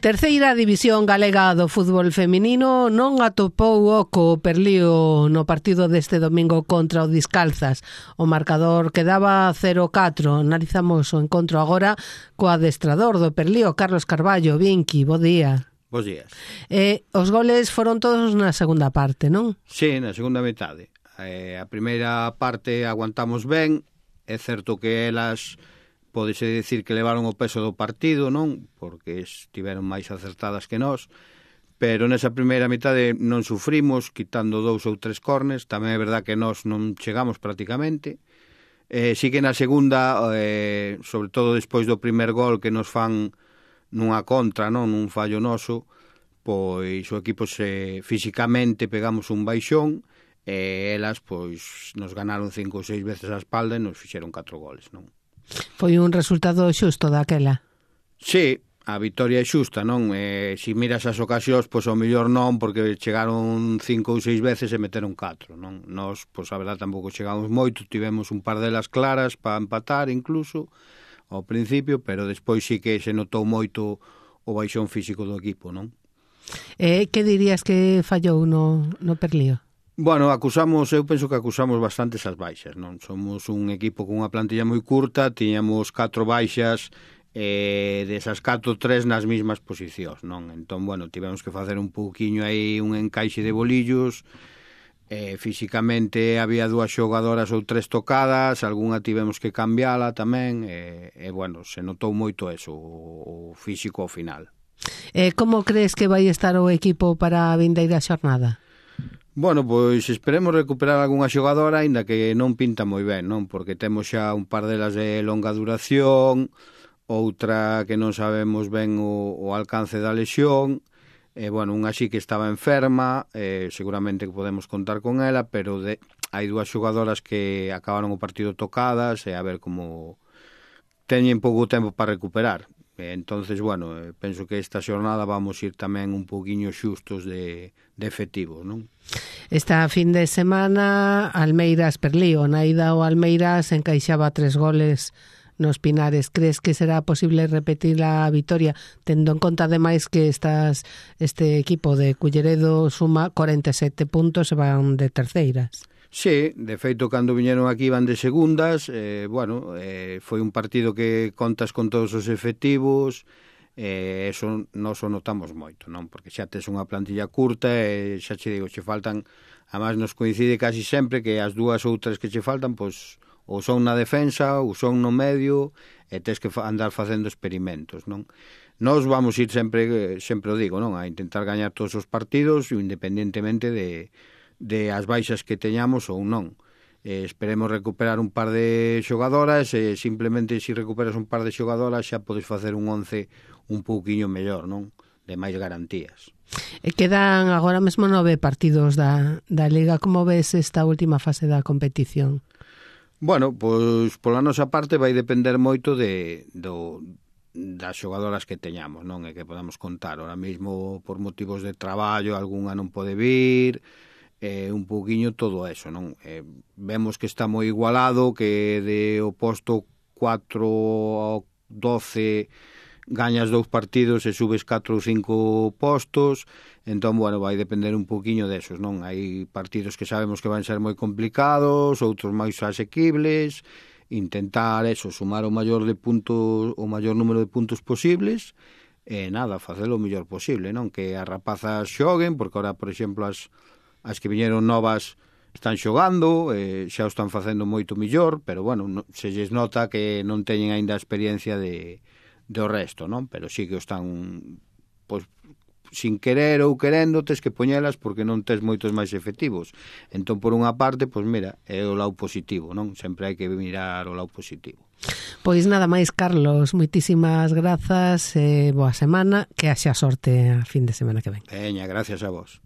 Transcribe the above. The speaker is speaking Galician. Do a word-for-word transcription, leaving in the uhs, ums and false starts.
Terceira división galega do fútbol feminino non atopou oco o Perlío no partido deste domingo contra o Discalzas. O marcador quedaba cero catro. Analizamos o encontro agora co adestrador do Perlío, Carlos Carballo. Vinqui, bo día. Bos días. Eh, os goles foron todos na segunda parte, non? Sí, na segunda metade. Eh, a primeira parte aguantamos ben. É certo que elas pódese dicir que levaron o peso do partido, non? Porque estiveron máis acertadas que nós, pero nesa primeira mitade non sufrimos, quitando dous ou tres cornes. Tamén é verdad que nós non chegamos prácticamente. Eh, sí que na segunda, eh, sobre todo despois do primer gol que nos fan nunha contra, non? Nun fallo noso, pois o equipo se físicamente pegamos un baixón e elas pois nos ganaron cinco ou seis veces a espalda e nos fixeron catro goles, non? Foi un resultado xusto daquela? Sí, a vitoria é xusta, non? Eh, se miras as ocasións, pois ao mellor non, porque chegaron cinco ou seis veces e meteron catro, non? Nós, pois a verdad, tampouco chegamos moito, tivemos un par delas claras para empatar incluso ao principio, pero despois sí que se notou moito o baixón físico do equipo, non? Eh, que dirías que fallou no, no Perlío? Bueno, acusamos, eu penso que acusamos bastante esas baixas, non? Somos un equipo con unha plantilla moi curta, tiñamos catro baixas, e desas catro, tres nas mesmas posicións, non? Entón, bueno, tivemos que facer un pouquiño aí un encaixe de bolillos, e físicamente había dúas xogadoras ou tres tocadas, algunha tivemos que cambiala tamén, e, e bueno, se notou moito eso, o, o físico ao final. Eh, como crees que vai estar o equipo para a vindeira xornada? Bueno, pois esperemos recuperar algunha xogadora, aínda que non pinta moi ben, non? Porque temos xa un par delas de longa duración, outra que non sabemos ben o, o alcance da lesión, e, bueno, unha sí que estaba enferma, eh, seguramente que podemos contar con ela, pero de, hai dúas xogadoras que acabaron o partido tocadas, e a ver como teñen pouco tempo para recuperar. Entonces, bueno, penso que esta xornada vamos ir tamén un pouquiño xustos de, de efectivos, non? Esta fin de semana, Almeiras Perlío. Na ida ao Almeiras encaixaba tres goles nos Pinares. Crees que será posible repetir a vitoria, tendo en conta ademais que estas, este equipo de Culleredo suma cuarenta e sete puntos e van de terceiras? Sí, de feito, cando viñeron aquí van de segundas, eh, bueno, eh, foi un partido que contas con todos os efectivos, e eh, eso nos o notamos moito, non? Porque xa tes unha plantilla curta e xa che digo, che faltan, además nos coincide casi sempre que as dúas ou tres que che faltan, pois, ou son na defensa, ou son no medio, e tes que andar facendo experimentos, non? Nos vamos ir sempre, sempre o digo, non? A intentar gañar todos os partidos, independentemente de de as baixas que teñamos ou non. Eh, esperemos recuperar un par de xogadoras, e simplemente se recuperas un par de xogadoras xa podes facer un once un pouquiño mellor, non? De máis garantías. E quedan agora mesmo nove partidos da, da Liga. Como ves esta última fase da competición? Bueno, pois pola nosa parte vai depender moito de, do, das xogadoras que teñamos, non? E que podamos contar. Ahora mesmo, por motivos de traballo, algunha non pode vir, eh, un pouquiño todo eso, non? Eh, vemos que está moi igualado, que de o posto cuatro ao doce gañas dous partidos e subes catro ou cinco postos, entón, bueno, vai depender un pouquiño desos, non? Hai partidos que sabemos que van ser moi complicados, outros máis asequibles, intentar eso, sumar o maior de puntos, o maior número de puntos posibles, e nada, facelo o mellor posible, non? Que as rapazas xoguen, porque ahora, por exemplo, as as que viñeron novas están xogando, eh, xa o están facendo moito millor, pero, bueno, no, se lles nota que non teñen aínda a experiencia de, de o resto, non? Pero sí que o están, pois, sin querer ou querendo, tes que poñelas porque non tes moitos máis efectivos. Entón, por unha parte, pois mira, é o lado positivo, non? Sempre hai que mirar o lado positivo. Pois nada máis, Carlos, moitísimas grazas, eh, boa semana, que haxa sorte a fin de semana que ven. Veña, gracias a vos.